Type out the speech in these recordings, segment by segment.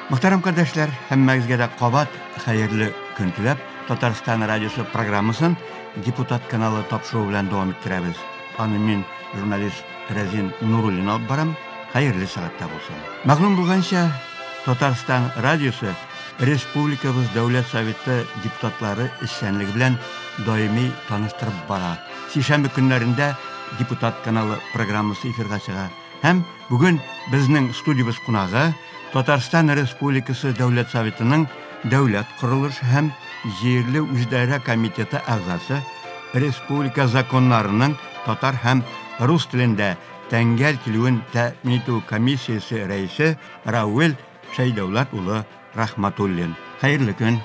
Мөхтәрәм кардәшләр, һәммәгезгә дә кабат хәерле көн теләп, Татарстан радиосы программасын Депутат каналы тапшыруы белән дәвам иттерәбез. Аны мин, журналист Рәзин Нуруллин алып барам. Хәерле сәгатьтә булсын. Мәгълүм булганча, Татарстан радиосы республикабыз Дәүләт Советы депутатлары эшчәнлеге белән даими таныштырып бара. Сишәмбе көннәрендә Депутат каналы программасы эфирга чыга. Һәм бүген безнең студиябез кунагы Татарстан Республикасы Дәүләт Советының Дәүләт корылышы һәм җирле үзидарә комитеты әгъзасы, республика законнарының татар һәм рус телендә тәңгәл килүен тәэмин итү комиссиясе рәисе Равил Шәйдәүләт улы Рахматуллин. Хәерле көн.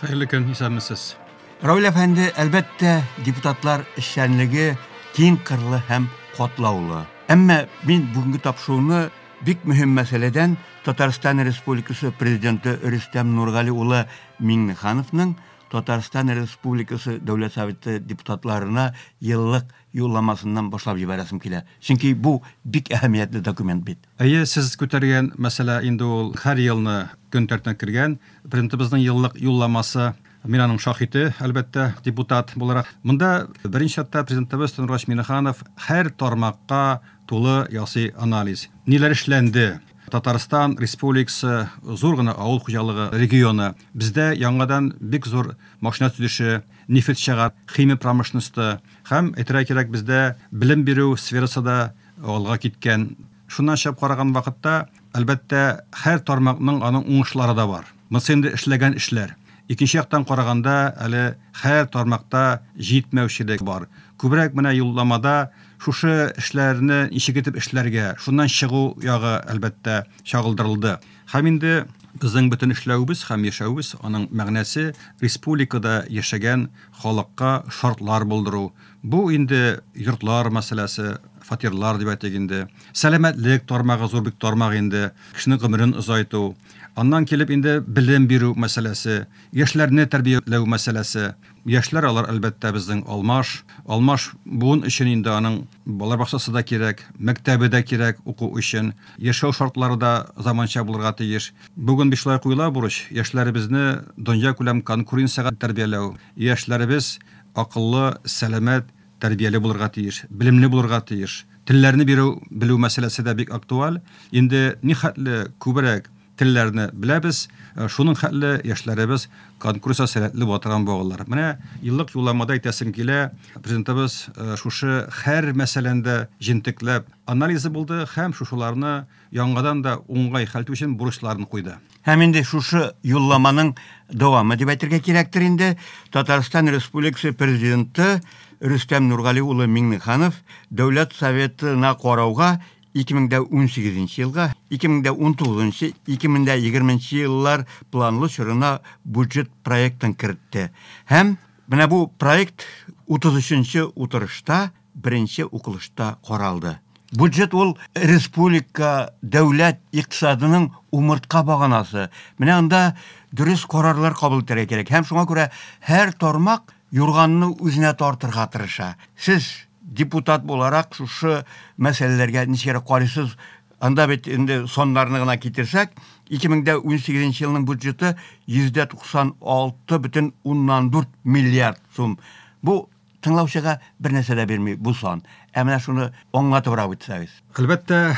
Хәерле көн, исәнмесез. Равил әфәнде, әлбәттә, депутатлар эшчәнлеге киң кырлы һәм катлаулы. Әмма мин бүгенге тапшыруны бик мөһим мәсьәләдән Татарстан Республикасы Президенты Рөстәм Нургали улы Миңнехановның Татарстан Республикасы Дәүләт Советы депутатларына еллык юлламасыннан башлап җибәрәсем килә. Чөнки бу бик әһәмиятле документ бит. Әйе, сез күтәргән мәсьәлә инде ул һәр елны көн тәртибенә кергән. Президентыбызның еллык юлламасы. Мин аның шаһите, әлбәттә, депутат буларак. Монда беренче чиратта Президентыбыз Тимурбач Миңнеханов һәр тармакка тулы ясый анализ. Ниләр эшләнде? Татарстан Республикасы зур гына авыл хуҗалыгы регионы. Бездә яңадан бик зур машина төзелеше, нефть чыгар, химия промышленносте һәм, әйтергә кирәк, бездә белем бирү сферасы да алга киткән. Шуннан чыгып караган вакытта, әлбәттә, һәр тармакның аның уңышлары да бар. Монысы инде эшләгән эшләр. Икенче яктан караганда, әле һәр тармакта җитмәүчелек бар. Күбрәк менә юлламада шушы эшләрне ничек итеп эшләргә, шуннан чыгу ягы, әлбәттә, чагылдырылды. Һәм инде безнең бөтен эшләвебез һәм яшәвебез, аның мәгънәсе республикада яшәгән халыкка шартлар булдыру. Бу инде йортлар мәсьәләсе, фатирлар дип әйтик инде. Сәламәтлек тармагы зур бик тармак инде, кешенең гомерен озайту. Аннан килеп инде белем бирү мәсьәләсе, яшьләрне тәрбияләү мәсьәләсе. Яшьләр алар, әлбәттә, безнең алмаш. Алмаш буын өчен инде аның балалар бакчасы да кирәк, мәктәбе дә кирәк уку өчен. Яшәү шартлары да заманча булырга тиеш. Бүген бит шулай куела бурыч, яшьләребезне дөньякүләм конкуренциягә тәрбияләү. Яшьләребез акыллы, сәламәт, тәрбияле булырга тиеш, белемле булырга тиеш. Телләрне бирү, белү мәсьәләсе дә бик актуаль. Инде нихәтле күбрәк телләрне беләбез, э, шуның хәтле яшьләребез конкурска сәләтле була торган булалар. Менә еллык юлламада әйтәсем килә, президентыбыз э, шушы һәр мәсьәләне дә җентекләп анализы булды һәм шушыларны яңадан да уңгай хәл итү өчен бурычларын куйды. Һәм инде шушы юлламаның дәвамы дип әйтергә кирәктер инде, Татарстан Республикасы Президенты Рөстәм Нургали улы Миңнеханов Дәүләт Советына карауга 2018 елга, 2019, 2020 еллар планлы чорына бюджет проектын кертте. Һәм менә бу проект 33 утырышта беренче укылышта каралды. Бюджет ул республика дәүләт икътисадының умыртка баганасы. Менә анда дөрес карарлар кабул итәргә кирәк. Һәм шуңа күрә һәр тармак юрганны үзенә тартырга тырыша. Сез депутат буларак шушы мәсьәләләргә ничегрәк карыйсыз? Анда бит инде саннарны гына китерсәк, 2018 елның бюджеты 196,4 миллиард сум. Бу тыңлаучыга бер нәрсә дә бирми бу сан. Ә менә шуны аңлатыбрак үтсәгез. Әлбәттә,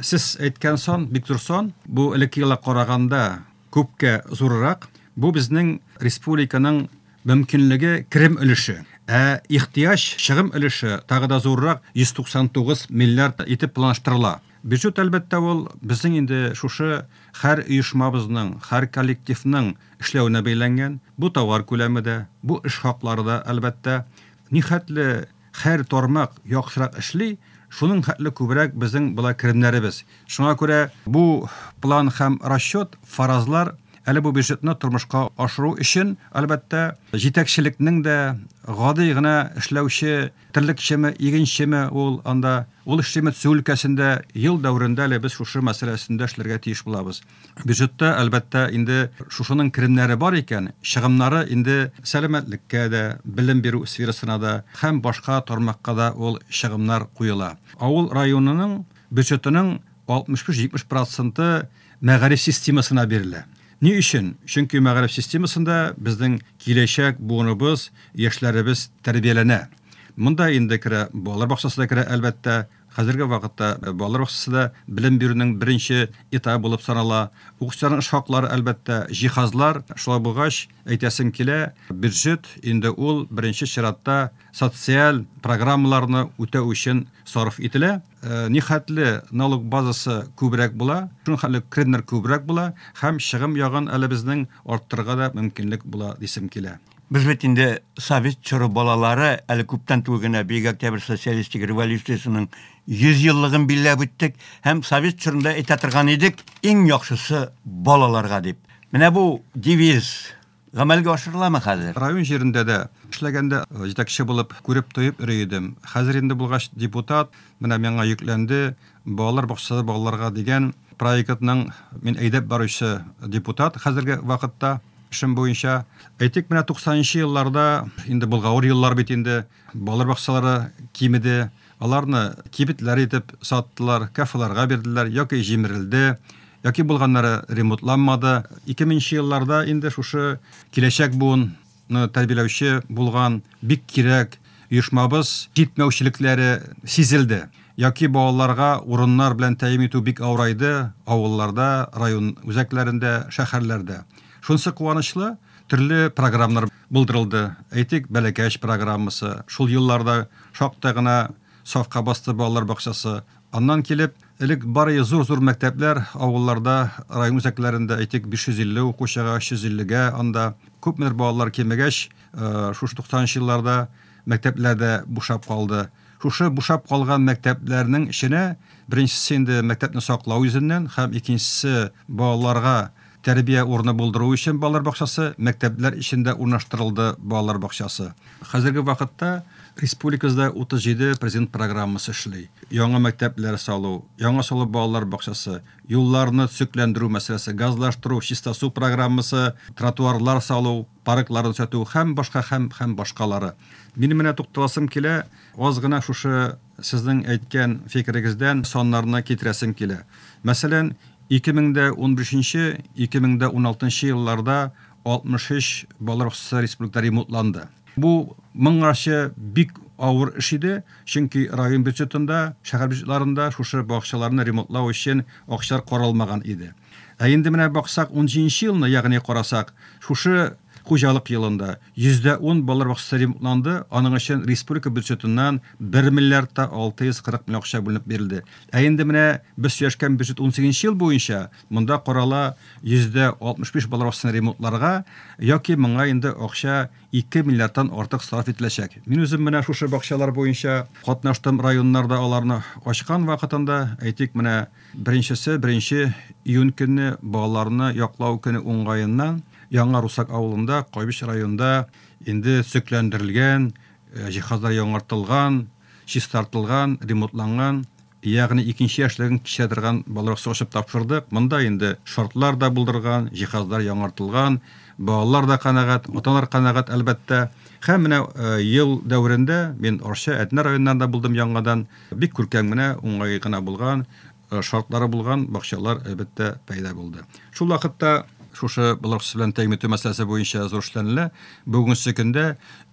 сез әйткән сан бик зур сан. Бу элекке елга караганда күпкә зуррак. Бу безнең республиканың мөмкинлеге керем өлеше. Ә ихтыяҗ чыгым өлеше тагы да зуррак 199 миллиард итеп планлаштырыла. Бюджет, әлбәттә, ул безнең инде шушы һәр оешмабызның, һәр коллективның эшләвенә бәйләнгән. Бу товар күләме дә, бу эш хаклары да, әлбәттә. Нихәтле һәр тармак яхшырак эшли, шуның хәтле күбрәк безнең була керемнәребез. Шуңа күрә бу план һәм расчет, фаразлар әле бу бюджетны тормышка ашыру өчен, әлбәттә, җитәкчелекнең дә, гади гына эшләүче терлекчеме, игенчеме ул анда, ул эшлиме төзү өлкәсендә, ел дәверендә әле без шушы мәсьәлә өстендә эшләргә тиеш булабыз. Бюджетта, әлбәттә, инде шушының керемнәре бар икән, чыгымнары инде сәламәтлеккә дә, белем бирү сферасына да һәм башка тармакка да ул чыгымнар куела. Авыл районының бюджетының 65-70 проценты мәгариф системасына бирелә. Ни өчен? Чөнки мәгариф системасында безнең киләчәк буыныбыз, яшьләребез тәрбияләнә. Монда инде керә балалар бакчасы да керә, әлбәттә. Хәзерге вакытта балалар бакчасы да белем бирүнең беренче этабы булып санала. Укытучыларның эш хаклары, әлбәттә, җиһазлар. Шулай булгач, әйтәсем килә, бюджет инде ул беренче чиратта социаль программаларны үтәү өчен сарыф ителә. Нихәтле налог базасы күбрәк була, шуның хәтле керемнәр күбрәк була һәм чыгым ягын әле безнең арттырырга да мөмкинлек була дисем килә. Без бит инде совет чоры балалары, әле күптән түгел генә Бөек Октябрь социалистик революциясенең 100 еллыгын билгеләп үттек һәм совет чорында әйтә торган идек, иң яхшысы балаларга дип. Менә бу девиз гамәлгә ашырыламы хәзер? Район җирендә дә эшләгәндә җитәкче булып күреп, тоеп йөри идем. Хәзер инде булгач депутат, менә миңа йөкләнде Балалар бакчасы балаларга дигән проектның мин әйдәп баручы депутат хәзерге вакытта эшем буенча. Әйтик, менә 90 нчы елларда, инде болгавыр еллар бит инде, балалар бакчалары кимеде. Аларны кибетләр итеп саттылар, кафеларга бирделәр яки җимерелде, яки булганнары ремонтланмады. 2000 нче елларда инде шушы киләчәк буынны тәрбияләүче булган бик кирәк оешмабыз җитмәүчелекләре сизелде. Яки балаларга урыннар белән тәэмин итү бик авырайды авылларда, район үзәкләрендә, шәһәрләрдә. Шунысы куанычлы, төрле программалар булдырылды. Әйтик, Бәләкәч программасы, шул елларда шактай гына сафка басты балалар бакчасы. Аннан килеп, элек бары зур-зур мәктәпләр авылларда, район үзәкләрендә, әйтик, 550 укучыга, 350 гә анда күпмедер балалар кимегәч, шушы 90 нчы елларда мәктәпләр дә бушап калды. Шушы бушап калган мәктәпләрнең эченә, беренчесе инде мәктәпне саклау йөзеннән һәм икенчесе балаларга тәрбия урыны булдыру өчен балалар бакчасы, мәктәпләр эчендә урнаштырылды балалар бакчасы. Хәзерге вакытта республикабызда 37 президент программасы эшли. Яңа мәктәпләр салу, яңа салу балалар бакчасы, юлларны төзекләндерү мәсьәләсе, газлаштыру, чиста су программасы, тротуарлар салу, паркларны төзәтү һәм башка һәм һәм башкалары. Минем менә тукталасым килә, аз гына шушы сезнең әйткән фикерегездән саннарны китерәсем килә. Мәсәлән, 2015 2016 елларда 63 балалар бакчасы республикада ремонтланды. Бу моңарчы бик авыр эш иде, чөнки район бюджетында, шәһәр бюджетларында шушы бакчаларны ремонтлау өчен акчалар каралмаган иде. Ә инде менә баксак, унҗиденче елны, ягъни карасак, шушы хуҗалык елында 10% балалар бакчасы ремонтланды, аның өчен республика бюджетыннан 1 миллиард та 640 миллион акча бүленеп бирелде. Ә инде менә без сөйләшкән бюджет унсигезенче ел буенча монда карала 65% балалар бакчасын ремонтларга яки моңа инде акча 2 миллиардтан артык сарыф ителәчәк. Мин үзем менә шушы бакчалар буенча катнаштым районнарда аларны ачкан вакытында, әйтик, менә Беренчесе, беренче июнь көнне балаларны яклау көне уңгаеннан Яңа Русак авылында, Кайбыч районында инде төзекләндерелгән, җиһазлар яңартылган, чистартылган, ремонтланган, ягъни икенче яшьлеген кичерә торган балалар бакчасы ачып тапшырдык. Монда инде шартлар да булдырган, җиһазлар яңартылган, балалар да канәгать, ата-аналар канәгать, әлбәттә. Һәм менә ел дәверендә мин Арча, Әтнә районнарында булдым яңадан. Бик күркәм генә, уңай гына булган, шартлары булган бакчалар, әлбәттә, пәйда булды. Шул вакытта шушы балалар белән тәэмин итү мәсьәләсе буенча зур эшләнелә. Бүгенге көндә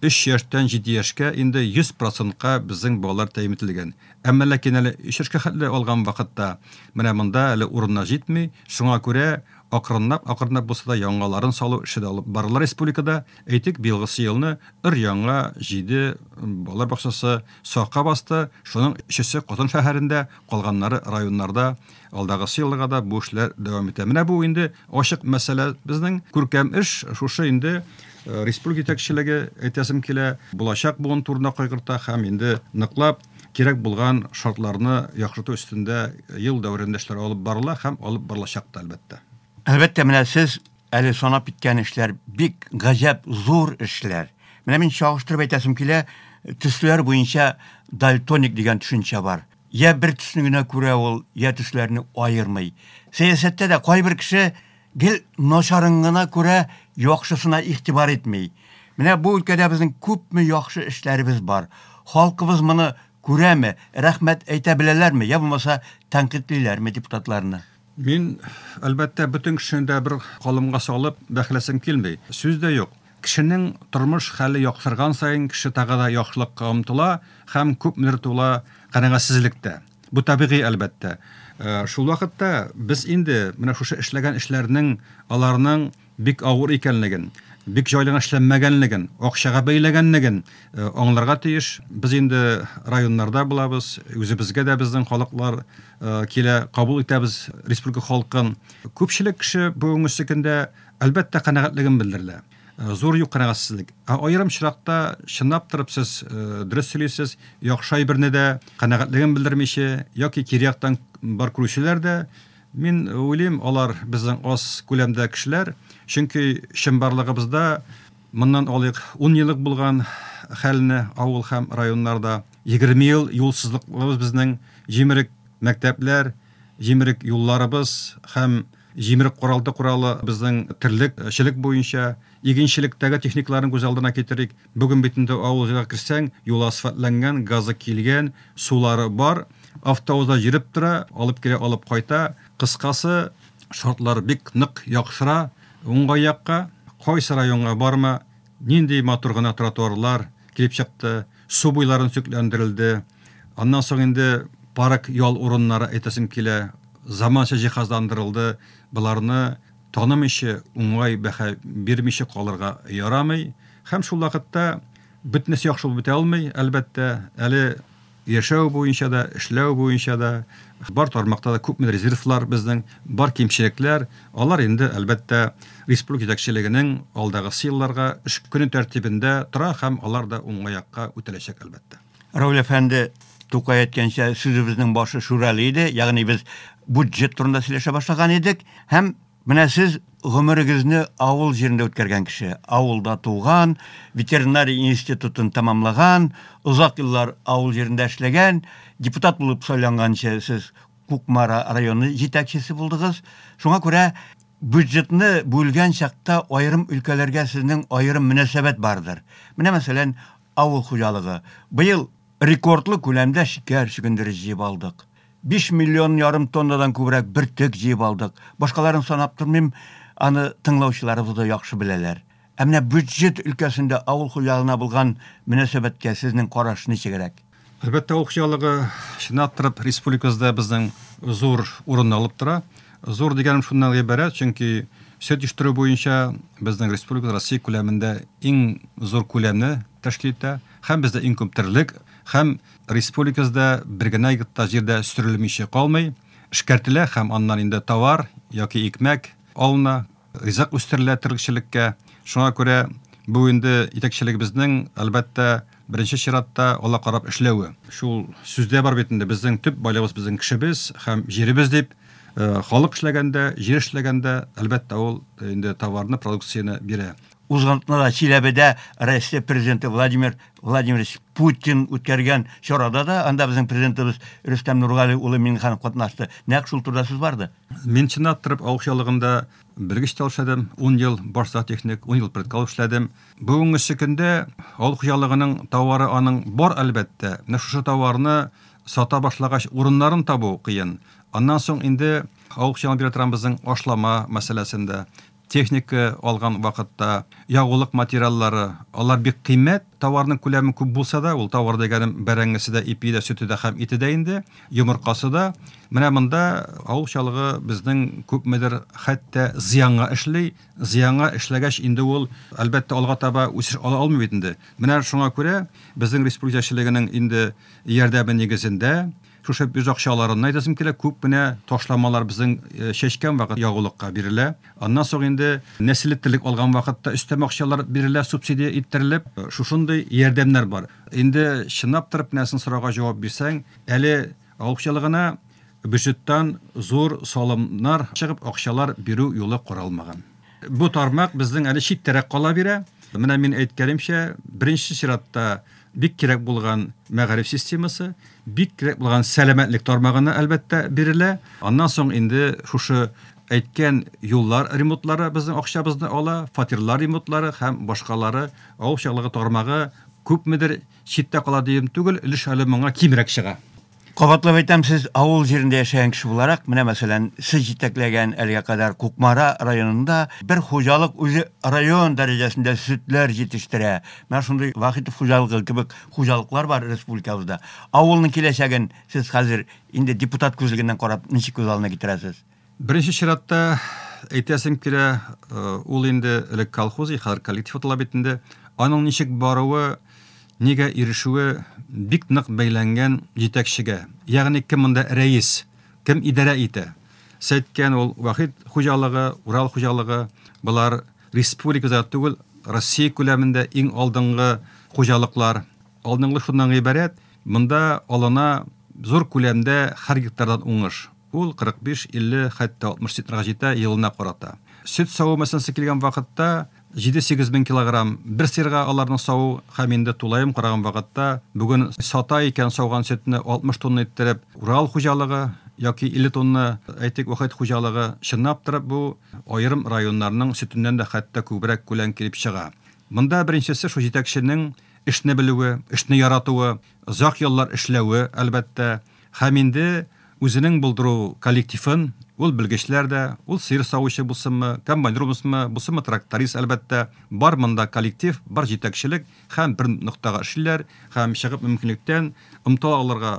3 яшьтән 7 яшькә инде 100 процентка безнең балалар тәэмин ителгән. Әмма ләкин әле 3 яшькә хәтле алган вакытта менә монда әле урыннар җитми. Шуңа күрә акрынлап, акрынлап булса да яңаларын салу эше дә алып барыла республикада. Әйтик, быелгысы елны өр-яңа 7 балалар бакчасы сафка басты, шуның өчесе Казан шәһәрендә, калганнары районнарда. Алдагысы елга да бу эшләр дәвам итә. Менә бу инде ачык мәсьәлә безнең, күркәм эш, шушы инде республика җитәкчелеге, әйтәсем килә, булачак буын турында кайгырта һәм инде ныклап кирәк булган шартларны яхшырту өстендә ел дәверендә эшләр алып барыла һәм алып барылачак та, әлбәттә. Әлбәттә, менә сез әле санап киткән эшләр бик гаҗәп зур эшләр. Менә мин чагыштырып әйтәсем килә, төсләр буенча дальтоник дигән төшенчә бар. Я бер төсне генә күрә ул, я төсләрне аермый. Сәясәттә дә кайбер кеше гел начарын гына күрә, яхшысына игътибар итми. Менә бу өлкәдә безнең күпме яхшы эшләребез бар. Халкыбыз моны күрәме, рәхмәт әйтә беләләрме, я булмаса тәнкыйтьлиләрме депутатларны? Мин, әлбәттә, бөтен кешене дә бер калымга салып бәхәләсем килми. Сүз дә юк. Кешенең тормыш хәле яхшырган саен кеше тагы да яхшылыкка омтыла һәм күпмедер тула канәгатьсезлек тә. Бу табигый, әлбәттә. Шул вакытта без инде менә шушы эшләгән эшләрнең аларның бик авыр икәнлеген, бик җайлы гына эшләнмәгәнлеген, акчага бәйләгәнлеген аңларга тиеш. Без инде районнарда булабыз, үзебезгә дә безнең халыклар килә, кабул итәбез республика халкын. Күпчелек кеше бүгенге көндә, әлбәттә, канәгатьлеген белдерелә. Зур юк канәгатьсезлек. Ә аерым очракта чынлап торып сез дөрес сөйлисез, яхшы әйберне дә канәгатьлеген белдермичә яки кире яктан бар күрүчеләр дә, мин уйлыйм, алар безнең аз күләмдә кешеләр, чөнки чынбарлыгыбызда моннан алыйк 10 еллык булган хәлне авыл һәм районнарда, 20 ел юлсызлыклыбыз безнең, җимерек мәктәпләр, җимерек юлларыбыз һәм җимерек каралты коралы безнең терлекчелек буенча, игенчелектәге техникаларны күз алдына китерик. Бүген бит инде авыл җиргә керсәң, юл асфальтланган, газы килгән, сулары бар, автобуслар йөреп тора, алып килә, алып кайта. Кыскасы, шартлар бик нык яхшыра уңай якка. Кайсы районга барма, нинди матур гына тротуарлар килеп чыкты, су буйларын төзекләндерелде. Аннан соң инде парк, ял урыннары әйтәсем килә, заманча җиһазландырылды. Боларны танымыйча, уңай бәһа бирмичә калырга ярамый. Һәм шул вакытта бөтенесе яхшы булып бетә алмый, әлбәттә. Әле яшәү буенча да, эшләү буенча да, бар тармакта да күпме резервлар безнең, бар кимчелекләр, алар инде, әлбәттә, республика җитәкчелегенең алдагысы елларга эш көне тәртибендә тора һәм алар да уңай якка үтәләчәк, әлбәттә. Рауль әфәнде, Тукай әйткәнчә, сүзебезнең башы Шүрәле иде, ягъни без бюджет турында сөйләшә башлаган идек. Һәм менә сез гомерегезне авыл җирендә үткәргән кеше, авылда туган, ветеринария институтын тәмамлаган, озак еллар авыл җирендә эшләгән, депутат булып сайланганчы сез Кукмара районы җитәкчесе булдыгыз. Шуңа күрә бюджетны бүлгән чакта аерым өлкәләргә сезнең аерым мөнәсәбәт бардыр. Менә мәсәлән, авыл хуҗалыгы. Быел рекордлы күләмдә шикәр чөгендере җыеп алдык. 5 миллион ярым тоннадан күбрәк бөртек җыеп алдык. Башкаларын санап тормыйм, аны тыңлаучыларыбыз да яхшы беләләр. Ә менә бюджет өлкәсендә авыл хуҗалыгына булган мөнәсәбәткә сезнең караш ничегрәк? Әлбәттә, авыл хуҗалыгы чынлап торып республикабызда безнең зур урын алып тора. Зур дигәнем шуннан гыйбарәт, чөнки сөт җитештерү буенча безнең республика Россия күләмендә иң зур күләмне тәшкил итә. Һәм бездә иң күп терлек, һәм республикабызда бер генә гектар җир дә сөрелмичә калмый, эшкәртелә һәм аннан инде товар яки икмәк алына, ризык үстерелә терлекчелеккә. Шуңа күрә бу инде җитәкчелегебезнең, әлбәттә, беренче чиратта ала карап эшләве. Шул сүздә бар бит инде, безнең төп байлыгыбыз безнең кешебез һәм җиребез дип. Халык эшләгәндә, җир эшләгәндә, әлбәттә, ул инде товарны, продукцияне бирә. Узган атнада Чиләбедә Россия президенты Владимир Владимирович Путин үткәргән чарада да анда безнең президентыбыз Рөстәм Нургали улы Миңнеханов катнашты. Нәкъ шул турыда сүз барды. Мин чынлап торып авыл хуҗалыгында белгеч тә эшләдем, 10 ел баш зоотехник, 10 ел предкал эшләдем. Бүгенге көндә авыл хуҗалыгының товары аның бар, әлбәттә. Менә шушы товарны сата башлагач, урыннарын табу кыен. Аннан соң инде авыл хуҗалыгына бирә торган безнең ашлама мәсьәләсендә, техника алган вакытта, ягулык материаллары, алар бик кыйммәт, товарның күләме күп булса да, ул товар дигәнем бәрәңгесе дә, ипи дә, сөте дә һәм ите дә инде, йомыркасы да. Менә монда авыл хуҗалыгы безнең күпмедер хәтта зыянга эшли. Зыянга эшләгәч инде ул, әлбәттә, алга таба үсеш ала алмый бит инде. Менә шуңа күрә безнең республика җитәкчелегенең инде ярдәме нигезендә шушы бюджет акчаларыннан әйтәсем килә, күп кенә ташламалар безнең чәчкән вакыт ягулыкка бирелә. Аннан соң инде нәселле терлек алган вакытта өстәмә акчалар бирелә, субсидия иттерелеп, шушындый ярдәмнәр бар. Инде чынлап торып менә сорауга җавап бирсәң, әле авыл хуҗалыгына бюджеттан зур салымнар чыгып акчалар бирү юлы каралмаган. Бу тармак безнең әле читтәрәк кала бирә. Менә мин әйткәнемчә, беренче чиратта бик кирәк булган мәгариф системасы, бик кирәк булган сәламәтлек тармагына әлбәттә бирелә. Аннан соң инде шушы әйткән юллар ремонтлары безнең акчабызны ала, фатирлар ремонтлары һәм башкалары. Авыл хуҗалыгы тармагы күпмедер читтә кала дием түгел, өлеш әле моңа кимрәк чыга. Кабатлап әйтәм, сез авыл җирендә яшәгән кеше буларак, менә мәсәлән, сез җитәкләгән әлегә кадәр Кукмара районында бер хуҗалык үзе район дәрәҗәсендә сөтләр җитештерә. Менә шундый Вахитов хуҗалыгы кебек хуҗалыклар бар республикабызда. Авылның киләчәген сез хәзер инде депутат күзлегеннән карап ничек күз алдына китерәсез? Беренче чиратта әйтәсем килә, ул инде элек колхоз, хәзер коллектив атала бит инде. Аның ничек баруы, нигә ирешүе бик нык бәйләнгән җитәкчегә. Ягъни кем монда рәис, кем идарә итә. Сез әйткән ул Вахит хуҗалыгы, Урал хуҗалыгы, болар республикада түгел, Россия күләмендә иң алдынгы хуҗалыклар. Алдынгы шуннан гыйбарәт, монда алына зур күләмдә һәр гектардан уңыш. Ул 45, 50, хәтта 60 центнерга җитә елына карата. Сөт саву мәсьәләсе килгән вакытта 7-8 мең килограмм бер сыерга аларның саву һәм инде тулаем караган вакытта бүген сата икән сауган сөтне 60 тонна иттереп Урал хуҗалыгы яки 50 тонна, әйтик, Вахит хуҗалыгы, чынлап торып бу аерым районнарның сөтеннән дә хәтта күбрәк күләм килеп чыга. Монда беренчесе шул җитәкченең эшне белүе, эшне яратуы, озак еллар эшләве, әлбәттә, Һәм инде үзенең булдыру коллективын, ул белгечләр дә, ул сыер савучы булсынмы, комбайнер булсынмы, булсынмы тракторист, әлбәттә, бар монда коллектив, бар җитәкчелек һәм бер ноктага эшлиләр һәм чыгып мөмкинлектән омтыла алырга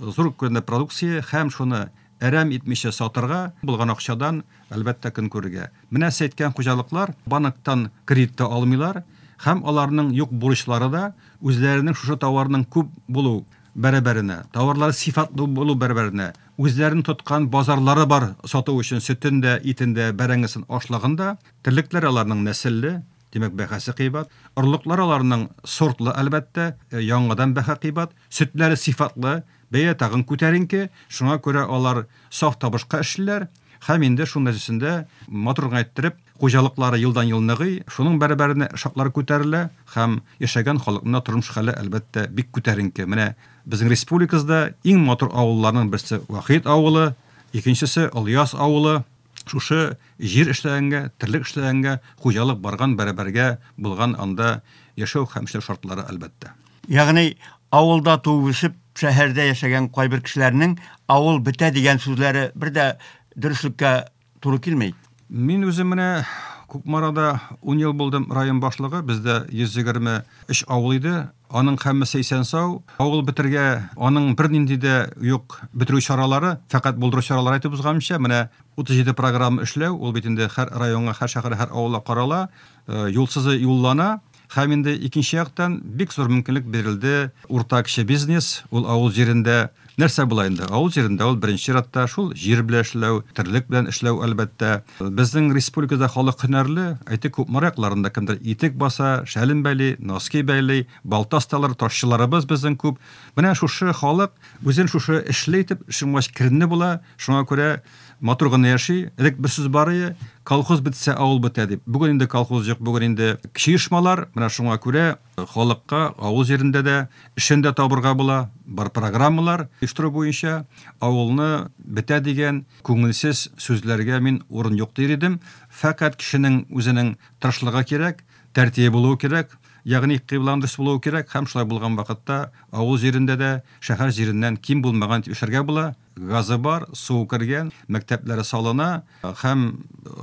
зур күләмдә продукция һәм шуны әрәм итмичә сатырга, булган акчадан, әлбәттә, көн күрергә. Менә сез әйткән хуҗалыклар банктан кредит та алмыйлар һәм аларның юк бурычлары да үзләренең шушы товарның күп булу бәрабәренә, товарлары сыйфатлы булу бәрабәренә, үзләренең тоткан базарлары бар сату өчен сөтен дә, итен дә, бәрәңгесен, ашлыгын да. Терлекләре аларның нәселле, димәк, бәһасе кыйбат. Орлыклары аларның сортлы, әлбәттә, яңадан бәһа кыйбат. Сөтләре сыйфатлы, бәя тагын күтәренке. Шуңа күрә алар саф табышка эшлиләр. Һәм инде шуның нәтиҗәсендә матур гына иттереп хуҗалыклары елдан-ел ныгый, шуның бәрабәренә шартлар күтәрелә һәм яшәгән халыкның да тормыш хәле, әлбәттә, бик күтәренке. Менә безнең республикабызда иң матур авылларның берсе Вахит авылы, икенчесе Олыяз авылы. Шушы җир эшләгәнгә, терлек эшләгәнгә, хуҗалык барган бәрабәргә булган анда яшәү һәм эшләү шартлары, әлбәттә. Ягъни авылда туып-үсеп, шәһәрдә яшәгән кайбер кешеләрнең авыл бетә дигән сүзләре бер дә дөреслеккә туры килми. Мин үзем менә Кукмарада 10 ел булдым район башлыгы. Бездә 123 авыл иде. Аның һәммәсе исән-сау. Авыл бетергә аның бернинди дә юк бетерү чаралары, фәкать булдыру чаралары әйтеп узганымча, менә 37 программа эшләү, ул бит инде һәр районга, һәр шәһәргә, һәр авылга карала, юлсызы юллана. Һәм инде икенче яктан бик зур мөмкинлек бирелде урта кече бизнес, ул авыл җирендә нәрсә була инде? Авыл җирендә ул беренче чиратта шул җир белән эшләү, терлек белән эшләү, әлбәттә. Безнең республикада халык һөнәрле, әйтик, Кукмара якларында кемдер итек баса, шәлен бәйли, носки бәйли, балта осталары, ташчыларыбыз безнең күп. Менә шушы халык үзен шушы эшле итеп, шуңа керемле була, шуңа күрә Матур гына яши. Элек бер сүз бар иде, колхоз бетсә, авыл бетә дип. Бүген инде колхоз юк, бүген инде кече оешмалар. Менә шуңа күрә халыкка авыл җирендә дә эшен дә табырга була. Бар программалар оештыру буенча авылны бетә дигән күңелсез сүзләргә мин урын юк дир идем. Фәкать кешенең үзенең тырышлыгы кирәк, тәртибе булуы кирәк, ягъни кыйблаң дөрес булуы кирәк һәм шулай булган вакытта авыл җирендә дә шәһәр җиреннән ким булмаган дип эшләргә була. Газы бар, суы кергән, мәктәпләре салына һәм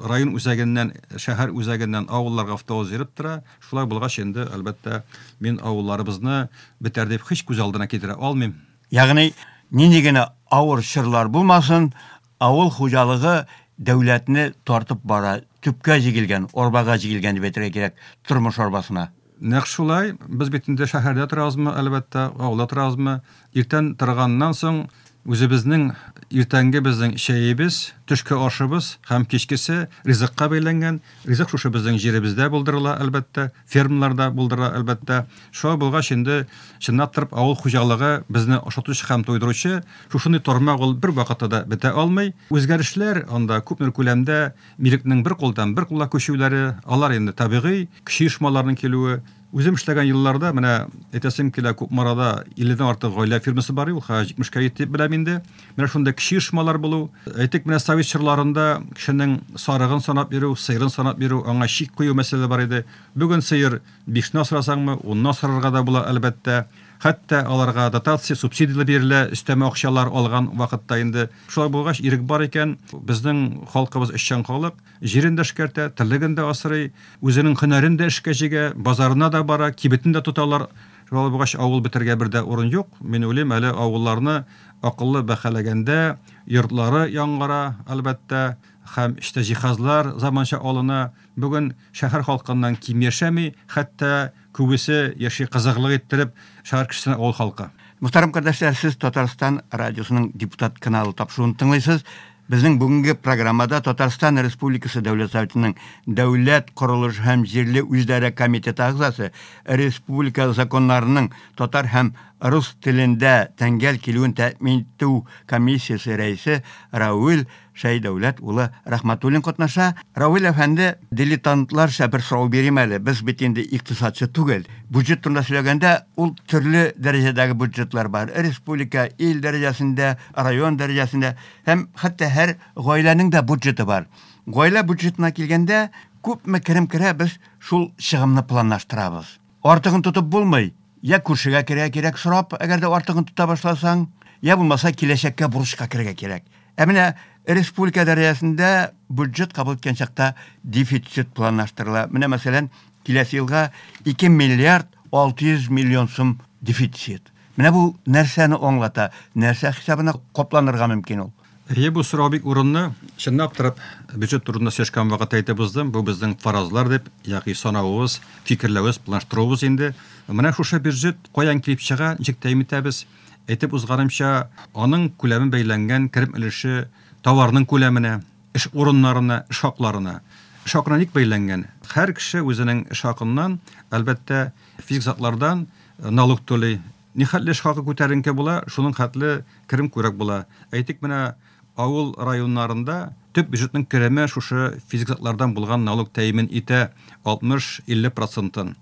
район үзәгеннән, шәһәр үзәгеннән авылларга автобус йөреп тора. Шулай булгач инде, әлбәттә, мин авылларыбызны бетәр дип һич күз алдына китерә алмыйм. Ягъни, нинди генә авыр чорлар булмасын, авыл хуҗалыгы дәүләтне тартып бара, төпкә җигелгән, арбага җигелгән дип әйтергә кирәк, тормыш арбасына. Нәкъ шулай, без бит инде шәһәрдә торабызмы, әлбәттә, авылда торабызмы, иртән торганнан соң үзебезнең иртәнге безнең чәебез, төшке ашыбыз һәм кичкесе ризыкка бәйләнгән. Ризык шушы безнең җиребездә булдырыла, әлбәттә, фермаларда булдырыла, әлбәттә. Шулай булгач инде, чынлап торып, авыл хуҗалыгы безне ашатучы һәм туйдыручы шушындый тармак ул бервакытта да бетә алмый. Үзгәрешләр анда күпмедер күләмдә Милекнең бер кулдан бер кулга күчүләре, алар инде табигый, кече оешмаларның килүе. Үзем эшләгән елларда, менә әйтәсем килә, Кукмарада 50-дән артык гаилә фирмасы бар, ул хәзер 70-кә җитте дип беләм инде. Менә шундый кече оешмалар булу. Әйтик, менә совет чорларында кешенең сарыгын санап йөрү, сыерын санап йөрү, аңа чик кую мәсьәләсе бар иде. Бүген сыер бишне асрасаңмы, унны асрарга да була, әлбәттә. Хәтта аларга дотация, субсидияләр бирелә, өстәмә акчалар алган вакытта инде. Шулай булгач, ирек бар икән, безнең халкыбыз эшчән халык, җирен дә эшкәртә, терлеген дә асрый, үзенең һөнәрен дә эшкә җигә, базарына да бара, кибетен дә тоталар. Шулай булгач, авыл бетергә бер дә урын юк. Мин уйлыйм, әле авылларны акыллы бәһаләгәндә йортлары яңара, әлбәттә, һәм эчтә җиһазлар заманча алына. Бүген шәһәр халкыннан ким яшәми, хәтта күбесе яши кызыклык иттереп, шәһәр кешесенә авыл халкы. Мөхтәрәм кардәшләр, сез Татарстан радиосының Депутат каналы тапшыруын тыңлыйсыз. Безнең бүгенге программада Татарстан Республикасы Дәүләт Советының Дәүләт корылыш һәм җирле үзидарә комитеты әгъзасы, республика законнарының татар һәм рус телендә тәңгәл килүен тәэмин итү комиссиясе рәисе Равил Шәйдәүләт улы Рәхмәтуллин катнаша. Равил әфәнде, дилетантларча бер сорау бирим әле. Без бит инде икътисадчы түгел. Бюджет турында сөйләгәндә, ул төрле дәрәҗәдәге бюджетлар бар. Республика, ил дәрәҗәсендә, район дәрәҗәсендә һәм хәтта һәр гаиләнең дә бюджеты бар. Гаилә бюджетына килгәндә, күпме керем керә, без шул чыгымны планлаштырабыз. Артыгын тотып булмый. Я күршегә керергә кирәк сорап, әгәр дә артыгын тота башласаң, я булмаса киләчәккә бурычка керергә кирәк. Ә менә республика дәрәҗәсендә бюджет кабул иткән чакта дефицит планлаштырыла. Менә мәсәлән, киләсе елга 2 миллиард 600 миллион сум дефицит. Менә бу нәрсәне аңлата? Нәрсә хисабына капланырга мөмкин ул? Әйе, бу сорау бик урынлы. Чынлап торып, бюджет турында сөйләшкән вакытта әйтеп уздым, бу безнең фаразлар дип, ягъни санавыбыз, фикерләвебез, планлаштыруыбыз инде. Менә шушы бюджет каян килеп чыга, ничек тәэмин итәбез? Әйтеп узганымча, аның күләме бәйләнгән керем өлеше товарның күләменә, эш урыннарына, эш хакларына. Эш хакына ник бәйләнгән? Һәр кеше үзенең эш хакыннан, әлбәттә, физик затлардан налог түли. Нихәтле эш хакы күтәренке була, шуның хәтле керем күбрәк була. Әйтик, менә авыл районнарында төп бюджетның кереме шушы физик затлардан булган налог тәэмин итә 60-50 процентын.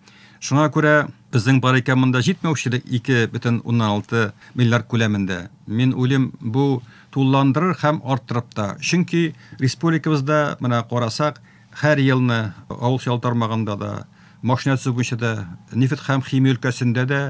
Шуңа күрә безнең бар икән монда җитмәүчелек 2,6 миллиард күләмендә. Мин уйлыйм, бу тулыландырыр һәм арттырып та. Чөнки республикабызда, менә карасак, һәр елны авыл хуҗалыгы тармагында да, машина төзү буенча да, нефть һәм химия өлкәсендә дә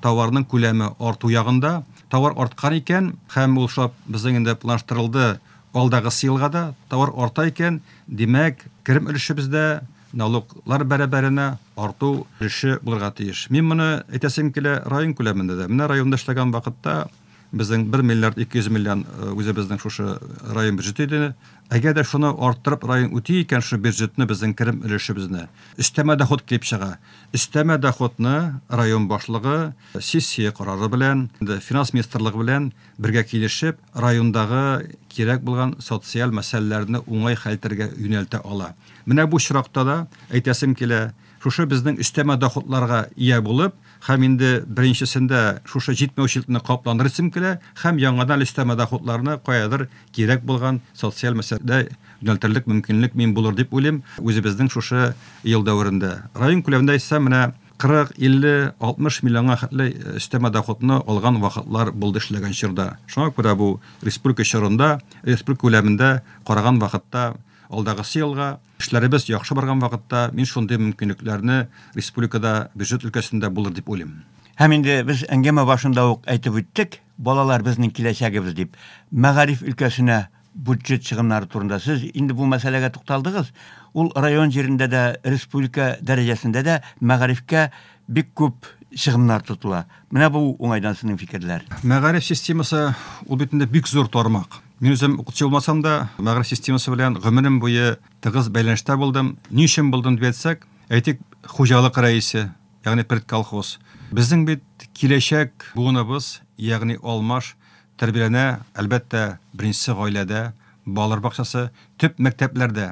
товарның күләме арту ягында. Товар арткан икән, һәм ул шулай безнең инде планлаштырылды алдагысы елга да товар арта икән, димәк, керем өлешебездә налоглар бәрабәренә арту өлеше булырга тиеш. Мин моны әйтәсем килә район күләмендә дә. Менә районда эшләгән вакытта безнең 1 миллиард 200 миллион үзебезнең шушы район бюджеты иде. Әгәр дә шуны арттырып район үти икән, шушы бюджетны, безнең керем өлешебезне, өстәмә доход килеп чыга. Өстәмә доходны район башлыгы сессия карары белән, инде финанс министрлыгы белән бергә килешеп, райондагы кирәк булган социаль мәсьәләләрне уңай хәл итәргә юнәлтә ала. Менә бу очракта да әйтәсем килә, шушы безнең өстәмә доходларга ия булып, һәм инде беренчесендә шушы җитмәүчелекне капландырасым килә, һәм яңадан өстәмә доходларны каядыр кирәк булган социаль мәсьәләдә юнәлтерлек мөмкинлек мин булыр дип уйлыйм үзебезнең шушы ел дәверендә. Район күләмендә әйтсәм, менә 40, 50, 60 миллионга хәтле өстәмә доходны алган вакытлар булды эшләгән чорда. Шуңа күрә бу республика чорында, республика күләмендә караган вакытта алдагысы елга эшләребез яхшы барган вакытта мин шундый мөмкинлекләрне республикада бюджет өлкәсендә булыр дип уйлыйм. Һәм инде без әңгәмә башында ук әйтеп үттек, балалар безнең киләчәгебез дип. Мәгариф өлкәсенә бюджет чыгымнары турында сез инде бу мәсьәләгә тукталдыгыз. Ул район җирендә дә, республика дәрәҗәсендә дә мәгарифкә бик күп чыгымнар тотыла. Менә бу уңайдан сезнең фикерләр. Мәгариф системасы ул бит инде бик зур тармак. Мин үзем укытучы булмасам да, мәгариф системасы белән гомерем буе тыгыз бәйләнештә булдым. Ни өчен булдым дип әйтсәк, әйтик, хуҗалык рәисе, ягъни предколхоз. Безнең бит киләчәк буыныбыз, ягъни алмаш тәрбияләнә, әлбәттә, беренчесе гаиләдә, балалар бакчасы, төп мәктәпләрдә.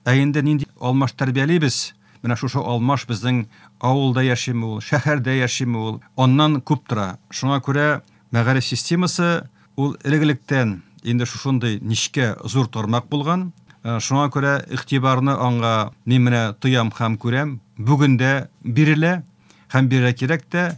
Ә инде нинди алмаш тәрбиялибез? Менә шушы алмаш безнең авылда яшиме ул, шәһәрдә яшиме ул, аннан күп тора. Шуңа күрә мәгариф системасы ул элек-электән инде шушындый нечкә зур тармак булган. Шуңа күрә игътибарны аңа мин менә тоям һәм күрәм, бүген дә бирелә һәм бирергә кирәк тә.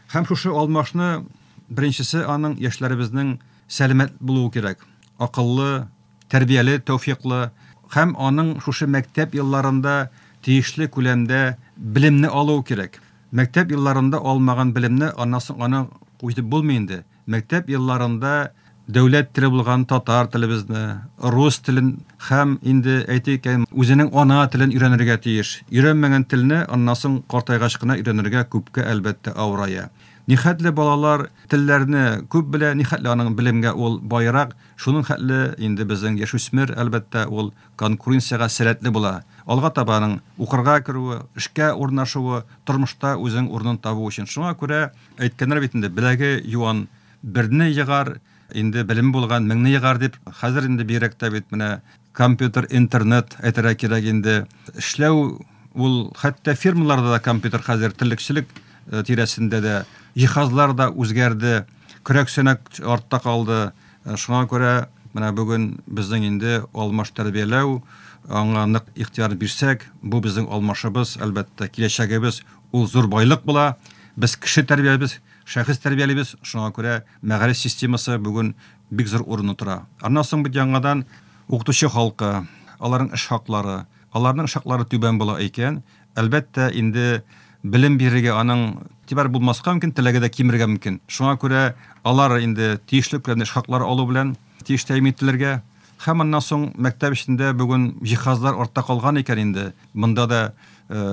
Һәм шушы алмашны беренчесе аның яшьләребезнең сәламәт булуы кирәк. Акыллы, тәрбияле, тәүфиклы һәм аның шушы мәктәп елларында тиешле күләмдә белемне алуы кирәк. Мәктәп елларында алмаган белемне аннан соң аны үтеп булмый инде. Мәктәп елларында дәүләт теле булган татар телебезне, рус телен һәм инде әйтик, үзенең ана телен өйрәнергә тиеш. Өйрәнмәгән телне аннан соң картайгач кына өйрәнергә күпкә әлбәттә авырая. Нихәтле балалар телләрне күп белә, нихәтле аның белемгә ул баерак, шуның хәтле инде безнең яшүсмер, әлбәттә, ул конкуренциягә сәләтле була. Алга таба аның укырга керүе, эшкә урнашуы, тормышта үзенең урынын табу өчен. Шуңа күрә әйткәннәр бит инде, беләге юан берне егар, инде белеме булган меңне егар дип. Хәзер инде бигрәк тә бит менә компьютер, интернет әйтергә кирәк инде. Эшләү ул хәтта фирмаларда да компьютер хәзер терлекчелек тирәсендә дә җиһазлар да үзгәрде, көрәк-сөнәк артта калды. Шуңа күрә менә бүген безнең инде алмаш тәрбияләү, аңа нык игътибар бирсәк, бу безнең алмашыбыз, әлбәттә, киләчәгебез ул зур байлык була. Без кеше тәрбиялибез, шәхес тәрбиялибез, шуңа күрә мәгариф системасы бүген бик зур урынны тора. Аннан соң бит яңадан укытучы халкы, аларның эш хаклары, аларның эш хаклары түбән була икән, әлбәттә, инде белем бирергә аның игътибар булмаска мөмкин, теләге дә кимергә мөмкин. Шуңа күрә алар инде тиешле күләмдә эш хаклары алу белән тиеш тәэмин ителергә. Һәм аннан соң мәктәп эчендә бүген җиһазлар артта калган икән инде, монда да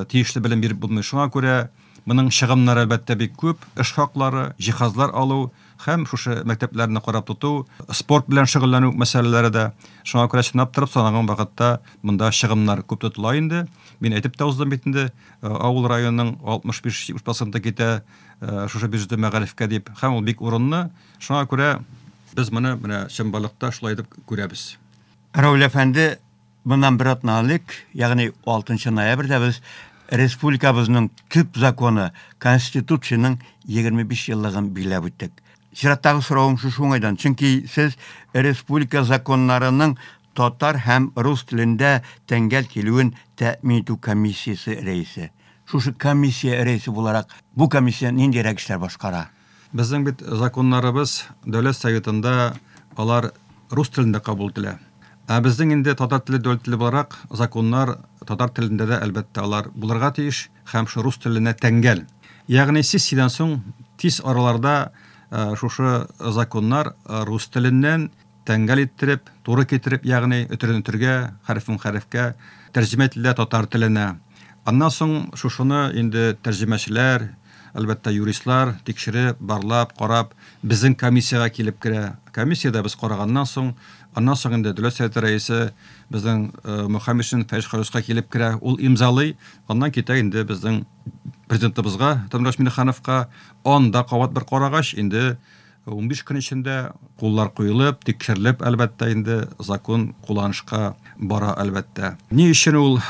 тиешле белем биреп булмый. Шуңа күрә моның чыгымнары әлбәттә бик күп, эш хаклары, җиһазлар алу һәм шушы мәктәпләрне карап тоту, спорт белән шөгыльләнү мәсьәләләре дә. Шуңа күрә чынлап торып санаган вакытта монда чыгымнар күп тотыла инде. Мин әйтеп тә уздым бит инде, авыл районының 65-70 проценты китә шушы бюджеты мәгарифкә дип, һәм ул бик урынлы. Шуңа күрә без моны менә чынбарлыкта шулай итеп күрәбез. Равил әфәнде, моннан бер атна элек, ягъни 6 ноябрьдә без республикабызның төп законы Конституциянең 25 еллыгын билгеләп үттек. Чираттагы соравым шушы уңайдан, чөнки сез республика законнарының татар һәм рус телендә тәңгәл килүен тәэмин итү комиссиясе рәисе. Шушы комиссия рәисе буларак, бу комиссия ниндирәк эшләр башкара? Безнең бит законнарыбыз Дәүләт Советында алар рус телендә кабул ителә. Ә безнең инде татар теле дәүләт теле буларак законнар татар телендә дә әлбәттә алар булырга тиеш һәм шул рус теленә тәңгәл. Ягъни сессиядән соң тиз араларда шушы законнар рус теленнән тәңгәл иттереп, туры китереп, ягъни өтерен өтергә, хәрефен хәрефкә тәрҗемә ителә татар теленә. Аннан соң шушыны инде тәрҗемәчеләр, әлбәттә, юристлар тикшереп, барлап, карап, безнең комиссиягә килеп керә. Комиссиядә без караганнан соң, аннан соң инде Дәүләт Советы рәисе безнең Мөхәммәтшин Фәиз Халисовка килеп керә, ул имзалый, аннан китә инде безнең президентыбызга, Тимурбаш Миңнехановка, анда кабат бер карагач, инде 15 көн эчендә куллар куелып, тикшерелеп, әлбәттә, инде закон кулланышка бара, әлбәттә. Ни өчен ул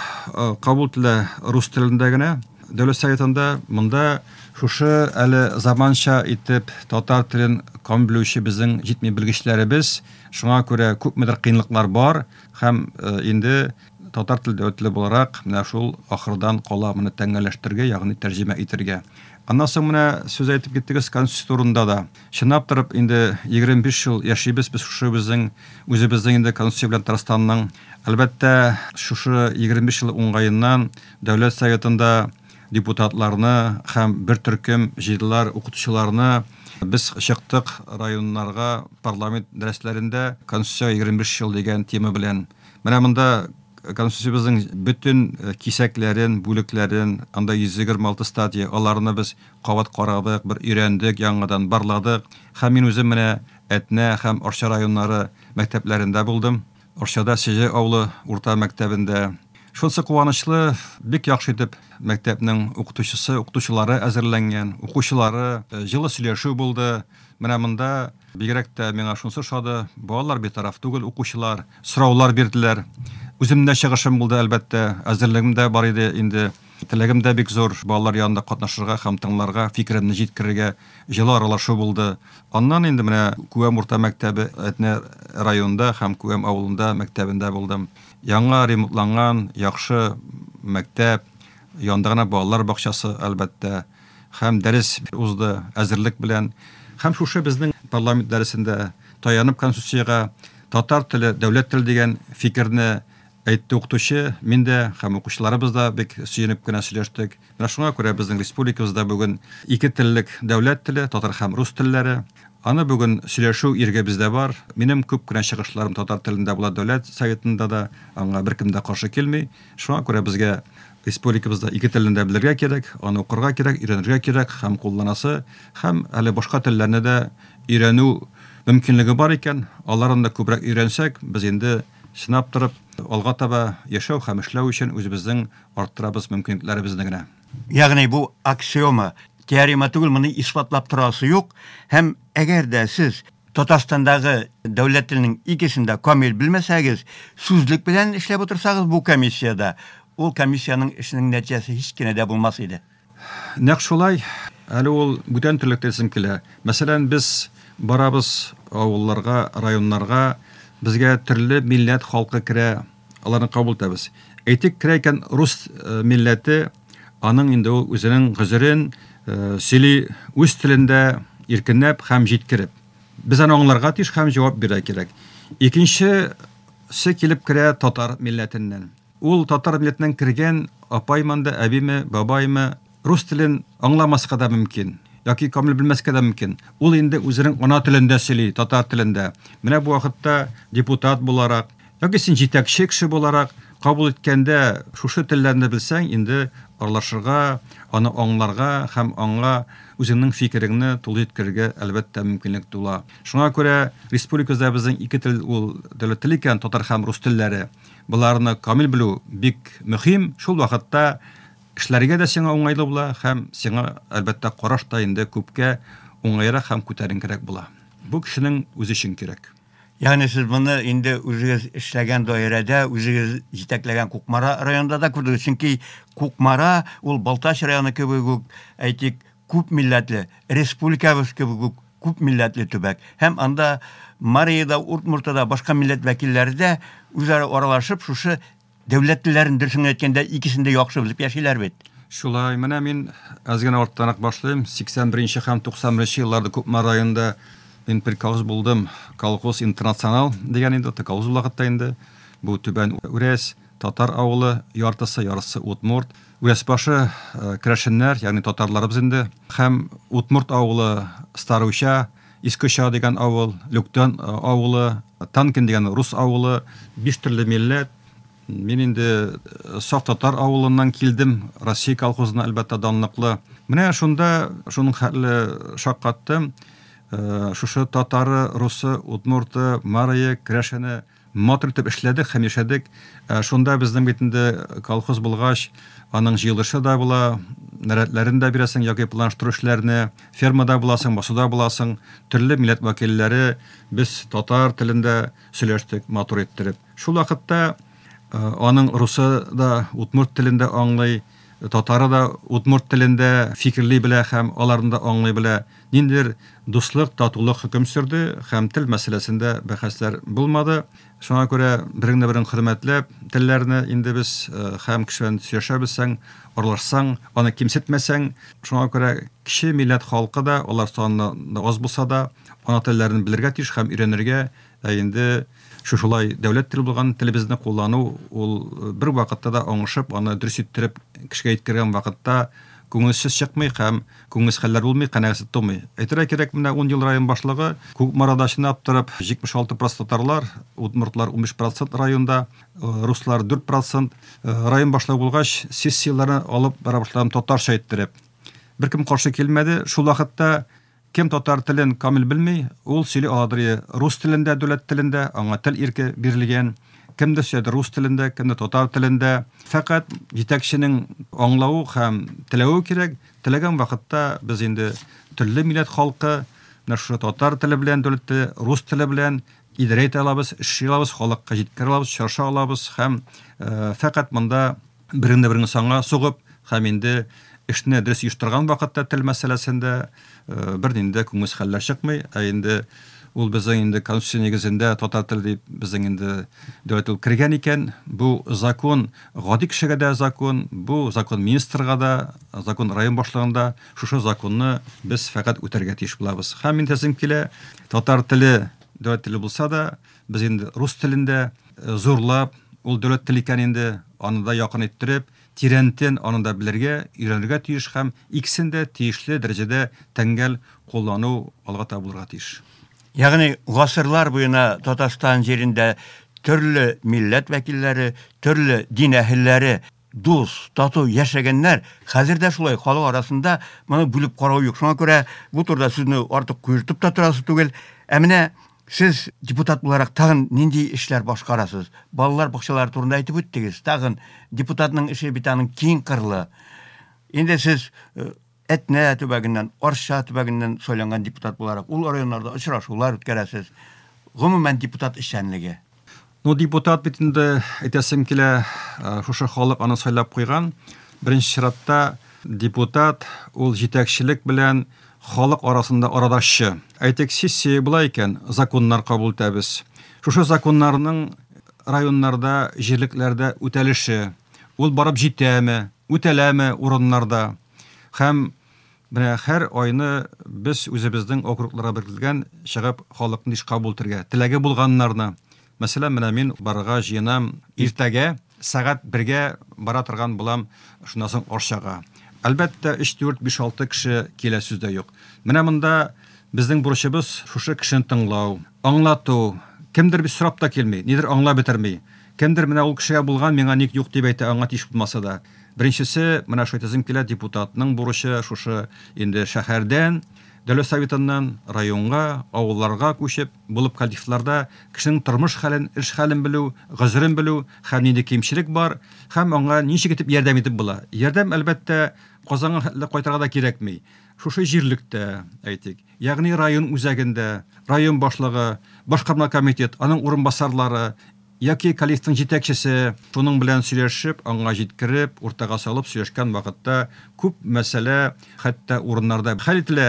кабул ителә рус телендә генә? Дәүләт Советында монда шушы әле заманча итеп татар телен камил белүче безнең җитми белгечләребез, шуңа күрә күпмедер кыенлыклар бар һәм инде татар теле дәүләт теле буларак менә шул ахырдан кала моны тәңгәлләштерергә, ягъни тәрҗемә итергә. Аннан соң менә сүз әйтеп киттегез Конституция турында да. Чынлап торып инде 25 ел яшибез без шушы безнең үзебезнең инде Конституция белән Татарстанның. Әлбәттә, шушы 25 ел уңгаеннан Дәүләт Советында депутатларны һәм бер төркем җыйдылар укытучыларны. Без чыктык районнарга парламент дәресләрендә Конституция 25 ел дигән тема белән. Менә монда Конституциябезнең бөтен кисәкләрен, бүлекләрен, анда 126 статья, аларны без кабат карадык, бер өйрәндек, яңадан барладык. Һәм мин үзем менә Әтнә һәм Арча районнары мәктәпләрендә булдым. Арчада Сеҗе авылы урта мәктәбендә. Шунысы куанычлы, бик яхшы итеп мәктәпнең укытучысы, укытучылары әзерләнгән, укучылары, җылы сөйләшү булды. Менә монда бигрәк тә миңа шунысы ошады, балалар битараф түгел, укучылар сораулар бирделәр. Үземдә чыгышым булды, әлбәттә, әзерлегем дә бар иде инде. Теләгем дә бик зур, балалар янында катнашырга һәм тыңларга, фикеремне җиткерергә, җылы аралашу булды. Аннан инде менә Күәм урта мәктәбе Әтнә районында һәм Күәм авылында мәктәбендә булдым. Яңа ремонтланган, яхшы мәктәп, янында гына балалар бакчасы, әлбәттә. Һәм дәрес узды әзерлек белән. Һәм шушы безнең парламент дәресендә таянып Конституциягә татар теле дәүләт теле дигән фикерне әйтте укытучы, мин дә һәм укучыларыбыз да бик сөенеп кенә сөйләштек. Менә шуңа күрә безнең республикабызда бүген ике теллек дәүләт теле, татар һәм рус телләре. Аны бүген сөйләшү иреге бездә бар. Минем күп кенә чыгышларым татар телендә була Дәүләт Советында да, аңа беркем дә каршы килми. Шуңа күрә безгә республикабызда ике телне дә белергә кирәк, аны укырга кирәк, өйрәнергә кирәк һәм кулланасы, һәм әле башка телләрне дә өйрәнү мөмкинлеге бар икән, аларын да күбрәк өйрәнсәк, без инде чынлап торып алга таба яшәү һәм эшләү өчен үзебезнең арттырабыз мөмкинлекләребезне генә. Ягъни бу аксиома, теорема түгел, моны исбатлап торасы юк. Һәм әгәр дә сез Татарстандагы дәүләт теленең икесен дә камил белмәсәгез, сүзлек белән эшләп утырсагыз бу комиссиядә, ул комиссиянең эшенең нәтиҗәсе һич кенә дә булмас иде. Нәкъ шулай, әле ул бүтән төрле телсем килә. Мәсәлән, без барабыз авылларга, районнарга, безгә төрле милләт халкы керә, аларны кабул итәбез. Әйтик, керә икән рус э, милләте, аның инде ул үзенең гозерен э, сөйли үз телендә иркенләп һәм җиткереп. Без аны аңларга тиеш һәм җавап бирергә кирәк. Икенчесе килеп керә татар милләтеннән. Ул татар милләтеннән кергән апаймы анда, әбиме, бабаймы, рус телен аңламаска да мөмкин, яки камил белмәскә дә мөмкин. Ул инде үзенең ана телендә сөйли, татар телендә. Менә бу вакытта депутат буларак, яки син җитәкче кеше буларак кабул иткәндә шушы телләрне белсәң, инде аралашырга, аны аңларга һәм аңа үзеңнең фикереңне тулы җиткерергә, әлбәттә, мөмкинлек тула. Шуңа күрә республикабызда безнең ике тел ул дәүләт теле икән, татар һәм рус телләре. Боларны камил белү бик мөһим. Шул вакытта эшләргә дә сиңа уңайлы була һәм сиңа, әлбәттә, караш та инде күпкә уңайрак һәм күтәренкерәк була. Бу кешенең үзе өчен кирәк. Ягъни сез моны инде үзегез эшләгән даирәдә, үзегез җитәкләгән Кукмара районында да күрдегез. Чөнки Кукмара ул Балтач районы кебек үк, әйтик, күп милләтле, республикабыз кебек үк күп милләтле төбәк. Һәм анда Марида, Удмуртада башка милләт вәкилләре дә үзара аралашып, шушы дәүләт телләрен дөресен әйткәндә икесен дә яхшы белеп яшиләр бит. Шулай, менә мин әз генә арттанрак башлыйм. 81 һәм 91 елларда Кукмара районында мин приказ булдым. Колхоз Интернационал дигән инде, колхоз вакытта инде. Бу Түбән Үрәс, татар авылы, яртысы, ярысы удмурт. Үрәсбашы керәшеннәр, ягъни татарларыбыз инде. Һәм Удмурт авылы Старуча, Искеча дигән авыл, Люктан авылы, Танкин дигән рус авылы, биш төрле милләт. Мин инде саф татар авылыннан килдем, Россия колхозына, әлбәттә, данлыклы. Менә шунда шуның хәтле шаккаттым. Шушы татары, русы, удмурты, марые, керәшене матур итеп эшләдек һәм яшәдек. Шунда безнең бит инде колхоз булгач, аның җыелышы да була, нәрәтләрен дә бирәсең яки планлаштыру эшләрне, фермада буласың, басуда буласың, төрле милләт вәкилләре без татар телендә сөйләштек, матур иттереп. Шул вакытта аның русы да удмурт телендә аңлый, татары да удмурт телендә фикерли белә һәм аларны да аңлый белә. Ниндидер дуслык, татулык хөкем сөрде һәм тел мәсьәләсендә бәхәсләр булмады. Шуңа күрә береңне берең хөрмәтләп, телләрне инде без һәм кеше белән сөйләшә белсәң, аралашсаң, аны кимсетмәсәң, шуңа күрә кече милләт халкы да, алар саны аз булса да, ана телләрен белергә тиеш һәм өйрәнергә, ә инде шушылай дәүләт теле булган телебезне куллану ул бер вакытта да аңышып, аны дөрес иттереп кешегә җиткергән вакытта күңелсез чыкмый һәм күңелсез хәлләр булмый, канәгатьсез тумый. Әйтергә кирәк, менә 10 ел район башлыгы Кукмарада чынлап торып 76% татарлар, удмуртлар 15% районда, руслар 4%. Район башлыгы булгач, сессияләрне алып бара башладым татарча иттереп. Беркем каршы килмәде. Шул вакытта кем татар телен камил белми, ул сөйли аладыр рус телендә, дәүләт телендә, аңа тел ирке бирелгән. Кемдер сөйләде рус телендә, кемдер татар телендә. Фәкать җитәкченең аңлавы һәм теләве кирәк. Теләгән вакытта без инде төрле милләт халкы, менә шушы татар теле белән, дәүләт теле, рус теле белән идарә итә алабыз, эшли алабыз, халыкка җиткерә алабыз, очраша алабыз һәм фәкать монда береңне береңне санга сугып һәм инде эшне дөрес оештырган вакытта тел мәсьәләсендә бернинди дә күңелсез хәлләр чыкмый. Ә инде ул безнең инде конституция нигезендә татар теле дип безнең инде дәүләт ул кергән икән, бу закон гади кешегә дә закон, бу закон министрга да, закон район башлыгында, шушы законны без фәкать үтәргә тиеш булабыз. Һәм мин әйтәсем килә, татар теле дәүләт теле булса да, без инде рус телендә зурлап, ул дәүләт теле икән инде, аны да якын иттереп, тирәнтен аны да белергә, өйрәнергә тиеш һәм икесен дә тиешле дәрәҗәдә тәңгәл куллану алга таба булырга тиеш. Ягъни гасырлар буена Татарстан җирендә төрле милләт вәкилләре, төрле дин әһелләре дус, тату яшәгәннәр. Хәзер дә шулай, халык арасында моны бүлеп карау юк. Шуңа күрә бу турыда сүзне артык куертып та торасы түгел. Ә менә сез депутат буларак тагын нинди эшләр башкарасыз? Балалар бакчалары турында әйтеп үттегез. Тагын депутатның эше бит аның киң кырлы. Инде сез Әтнә төбәгеннән, Арча төбәгеннән сайланган депутат буларак ул районнарда очрашулар үткәрәсез. Гомумән депутат эшчәнлеге. Ну, депутат бит инде, әйтәсем килә, шушы халык аны сайлап куйган. Беренче чиратта депутат ул җитәкчелек белән халык арасында арадашчы. Әйтик, сессия була икән, законнар кабул итәбез. Шушы законнарның районнарда, җирлекләрдә үтәлеше, ул барып җитәме, үтәләме урыннарда. Һәм менә һәр айны без үзебезнең округларга беркетелгән чыгып халыкны еш кабул итәргә, теләге булганнарны. Мәсәлән, менә мин барырга җыенам иртәгә сәгать бергә бара торган булам, шуннан соң Арчага. Әлбәттә, 3, 4, 5, 6 кеше килә, сүз дә юк. Менә монда безнең бурычыбыз шушы кешене тыңлау, аңлату. Кемдер бит сорап та килми, нидер аңлап бетерми. Кемдер менә ул кешегә булган, миңа ник юк дип әйтә, аңа тиеш булмаса да. Беренчесе, менә шул әйтәсем килә, депутатның бурычы шушы инде шәһәрдән, Дәүләт Советыннан районга, авылларга күчеп, булып коллективларда кешенең тормыш хәлен, эш хәлен белү, гозерен белү һәм нинди кимчелек бар, һәм аңа ничек итеп ярдәм итеп була. Ярдәм, әлбәттә, Казанга хәтле кайтырга да кирәкми. Шушы җирлектә, әйтик, ягъни район үзәгендә, район башлыгы, башкарма комитет, аның урынбасарлары, Яки коллективның җитәкчесе шуның белән сөйләшеп, аңа җиткереп, уртага салып сөйләшкән вакытта күп мәсьәлә хәтта урыннарда хәл ителә.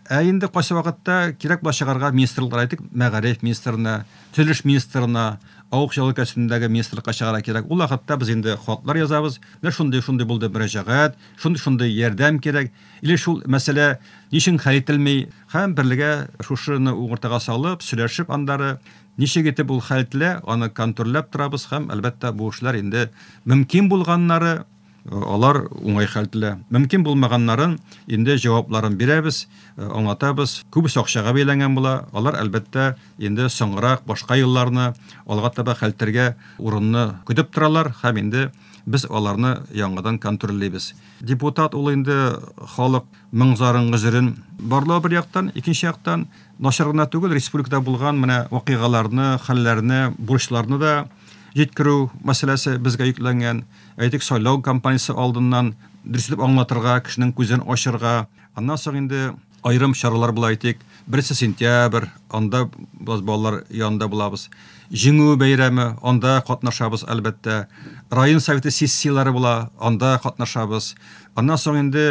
Ә инде кайсы вакытта кирәк була чыгарга министрлыклар, әйтик, мәгариф министрына, төзелеш министрына, авыл хуҗалыгы өлкәсендәге министрлыкка чыгарга кирәк. Ул вакытта без инде хатлар язабыз. Менә шундый-шундый булды мөрәҗәгать, шундый-шундый ярдәм кирәк. Или шул мәсьәлә ни өчен хәл ителми? Һәм берлегә шушыны уртага салып, сөйләшеп аннары Ничек итеп ул хәл ителә, аны контрольләп торабыз һәм, әлбәттә, бу эшләр инде мөмкин булганнары, алар уңай хәл ителә. Мөмкин булмаганнарын инде җавапларын бирәбез, аңлатабыз. Күбесе акчага бәйләнгән була, алар, әлбәттә, инде соңгырак, башка елларны алга таба хәл итәргә урынны көтеп торалар һәм инде без аларны яңадан контрольлибез. Депутат ул инде халык моң-зарын, гозерен барлау бер яктан, икенче яктан, Начар гына түгел, республикада булган менә вакыйгаларны, хәлләрне, бурычларны да җиткерү мәсьәләсе безгә йөкләнгән. Әйтик, сайлау кампаниясе алдыннан дөрес итеп аңлатырга, кешенең күзен ачырга. Аннан соң инде аерым чаралар була, әйтик, 1 сентябрь, анда без балалар янында булабыз. Җиңү бәйрәме, анда катнашабыз, әлбәттә. Район советы сессияләре була, анда катнашабыз. Аннан соң инде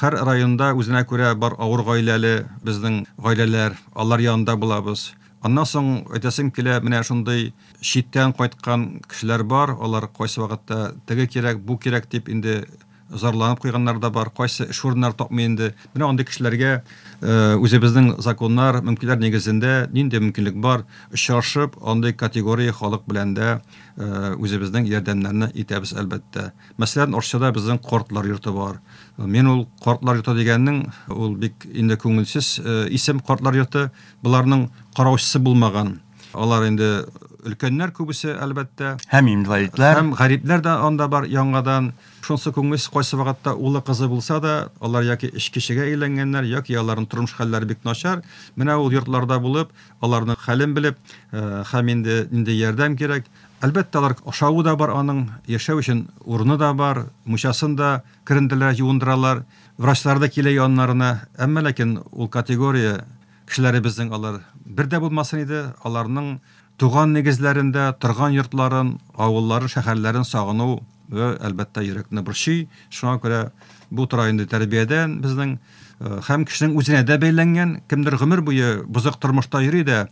Һәр районда үзенә күрә бар авыр гаиләле безнең гаиләләр, алар янында булабыз. Аннан соң әйтәсем килә, менә шундый читтән кайткан кешеләр бар, алар кайсы вакытта теге кирәк, бу кирәк дип инде зарланып куйганнар да бар, кайсы эш урыннары тапмый инде. Менә андый кешеләргә үзебезнең законнар, мөмкинлекләр нигезендә нинди мөмкинлек бар, очрашып, андый категория халык белән дә үзебезнең ярдәмнәрне итәбез, әлбәттә. Мәсәлән, Арчада безнең картлар йорты бар. Мин ул картлар йорты дигәннең, ул бик инде күңелсез исем картлар йорты. Боларның караучысы булмаган. Алар инде өлкәннәр күбесе, әлбәттә. Һәм инвалидлар. Һәм гарипләр дә анда бар яңадан. Шунысы күңелсез, кайсы вакытта улы, кызы булса да, алар яки эчкечегә әйләнгәннәр, яки аларның тормыш хәлләре бик начар. Менә ул йортларда булып, аларның хәлен белеп, һәм инде нинди ярдәм кирәк. Әлбәттә, алар ашавы да бар аның, яшәү өчен урыны да бар, мунчасын да керенделәр, юындыралар, врачлар да килә яннарына. Әмма ләкин ул категория кешеләребезнең алар бер дә булмасын иде, аларның туган нигезләрендә, торган йортларын, авылларын, шәһәрләрен сагыну, әлбәттә, йөрәкне борчый. Шуңа күрә бу тора инде тәрбиядән безнең һәм кешенең үзенә дә бәйләнгән. Кемдер гомер буе бозык тормышта йөри дә,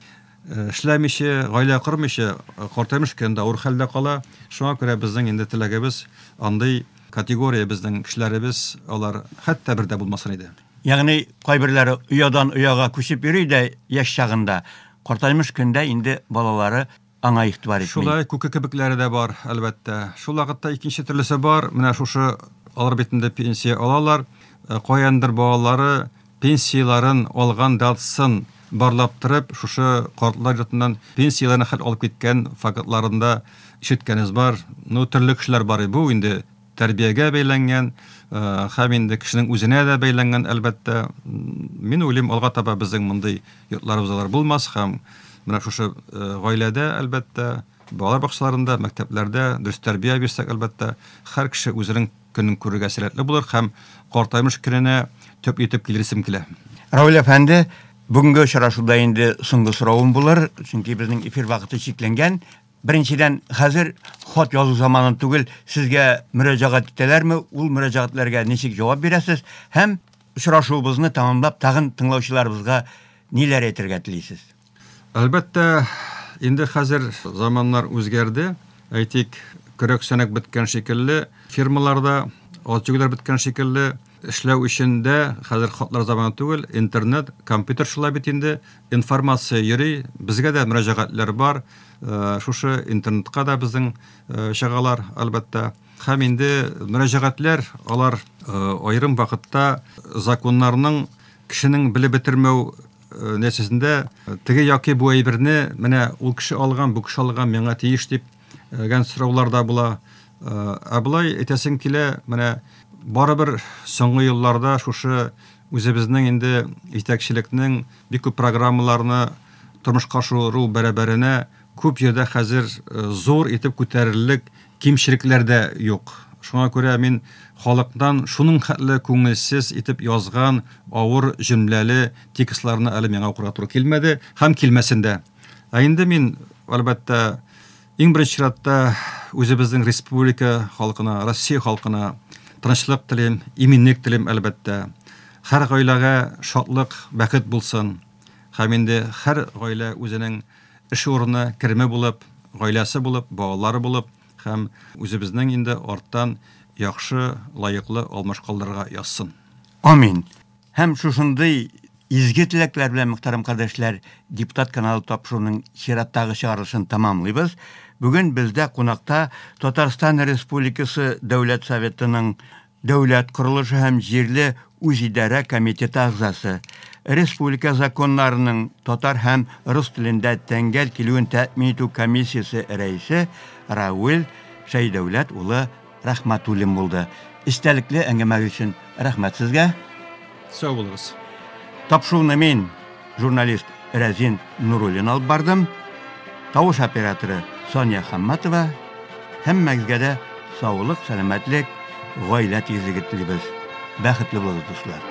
Эшләмичә, гаилә кормыйча, картаймыш көндә авыр хәлдә кала. Шуңа күрә безнең инде теләгебез, андый категория безнең кешеләребез, алар хәтта бер дә булмасын иде. Ягъни кайберләре оядан ояга күчеп йөри дә яшь чагында, картаймыш көндә инде балалары аңа игътибар итми. Шулай, күке кебекләре дә бар, әлбәттә. Шул вакытта икенче төрлесе бар. Менә шушы алар бит инде пенсия алалар. Каяндыр балалары пенсияләрен алган датасын барлап торып, шушы картлар йортыннан пенсияләрен хәл алып киткән фактларын да ишеткәнебез бар. Ну, төрле кешеләр бар. Бу инде тәрбиягә бәйләнгән, һәм инде кешенең үзенә дә бәйләнгән, әлбәттә. Мин уйлыйм, алга таба безнең мондый йортларыбыз алар булмас һәм менә шушы гаиләдә, әлбәттә, балалар бакчаларында, мәктәпләрдә дөрес тәрбия бирсәк, әлбәттә, һәр кеше үзенең көнен күрергә сәләтле булыр һәм картаймыш көненә төп итеп килерсем килә. Равил әфәнде, бүгенге очрашуда инде соңгы соравым булыр, чөнки безнең эфир вакыты чикләнгән. Беренчедән, хәзер хат язу заманы түгел, сезгә мөрәҗәгать итәләрме, ул мөрәҗәгатьләргә ничек җавап бирәсез һәм очрашуыбызны тәмамлап тагын тыңлаучыларыбызга ниләр әйтергә телисез? Әлбәттә, инде хәзер заманнар үзгәрде. Әйтик, көрәк-сәнәк беткән шикелле, фирмаларда ат җигүләр беткән шикелле, эшләү өчен дә хәзер хатлар заманы түгел, интернет, компьютер шулай бит инде, информация йөри, безгә дә мөрәҗәгатьләр бар, шушы интернетка да безнең чыгалар, әлбәттә. Һәм инде мөрәҗәгатьләр, алар аерым вакытта законнарның кешенең белеп бетермәү нәтиҗәсендә теге яки бу әйберне менә ул кеше алган, бу кеше алган, миңа тиеш дип гән сораулар да була. Ә болай әйтәсем килә, менә барыбер соңгы елларда шушы үзебезнең инде җитәкчелекнең бик күп программаларны тормышка ашыру бәрабәренә күп җирдә хәзер зур итеп күтәрерлек кимчелекләр дә юк. Шуңа күрә мин халыктан шуның хәтле күңелсез итеп язган авыр җөмләле текстларны әле миңа укырга туры килмәде һәм килмәсен дә. Ә инде мин, әлбәттә, иң беренче чиратта үзебезнең республика халкына, Россия халкына тынычлык телим, иминлек телим, әлбәттә. Һәр гаиләгә шатлык, бәхет булсын. Һәм инде һәр гаилә үзенең эш урыны, кереме булып, гаиләсе булып, балалары булып һәм үзебезнең инде арттан яхшы, лаеклы алмаш калдырырга язсын. Амин. Һәм шушындый изге теләкләр белән, мөхтәрәм кардәшләр, Депутат каналы тапшыруының чираттагы чыгарылышын тәмамлыйбыз. Бүген бездә кунакта Татарстан Республикасы Дәүләт Советының Дәүләт корылышы һәм җирле үзидарә комитеты әгъзасы, республика законнарының татар һәм рус телендә тәңгәл килүен тәэмин итү комиссиясе рәисе Равил Шәйдәүләт улы Рәхмәтуллин булды. Эчтәлекле әңгәмәгез өчен рәхмәт сезгә. Сау булыгыз. Тапшыруны мин, журналист Рәзин Нуруллин алып бардым. Тавыш операторы Соня Хамматова. Һәммәгезгә дә саулык, сәламәтлек, гаилә тигезлеге телибез. Бәхетле булыгыз, дуслар.